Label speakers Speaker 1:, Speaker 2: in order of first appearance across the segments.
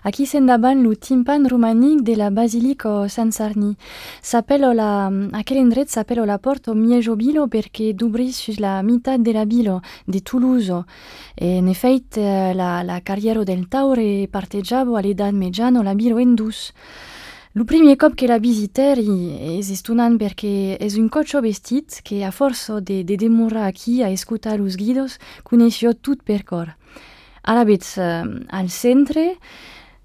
Speaker 1: Aquí s'endaban lo timpan romanic de la Basilico San Sarni. Aquel indret s'appelle la porta Miejo Bilo perché d'obrir sus la meitat de la Bilo de Toulouse. E en effet, la carriera del Taure parteggiavo all'età mediano la Bilo en dus. Lo primo cop che la visiteri es estunant perché es un coccio vestit che a forza de demorrar aquí a escutar los guidos coneció tot per cor. Arabets al centre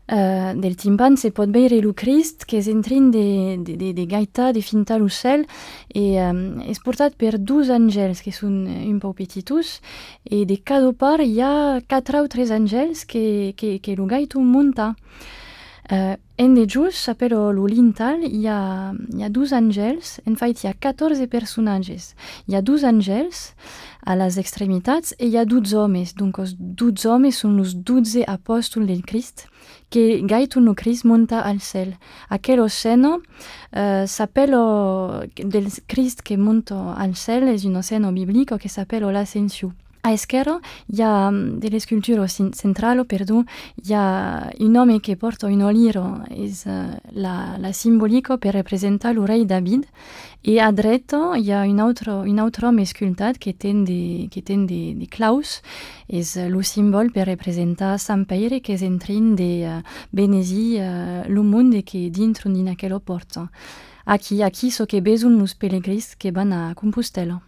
Speaker 1: del timpan se pot veure lo Crist che es entrin de gaita de finta lo cel e es portat per dos angels que són un pau petitus e de cada part hi ha 4 o 3 angels que lo gaito munta. En de just, s'appello lo lintal, hi ha 2 angels, en fait hi ha 14 personatges. Hi ha 2 angels a les extremitats e hi ha 12 homes, donc os 12 homes són los 12 apòstols del Crist, que gaito no Crist monta al cel. Aquel sceno s'appello del Crist que monta al cel, es un sceno biblico que s'appello l'Ascensión. A esquerra hi ha dell'escultura centrale, hi ha un home che porta un oliro, és la simbolico per representar lo rei David, e a dreta hi ha un altre home sculptat que ten de claus, és lo simbol per representar Sant Pere que és entrin de benesi lo monde que dintro din aquella porta. Aquí so che besun los pelegrins que van a Compostela.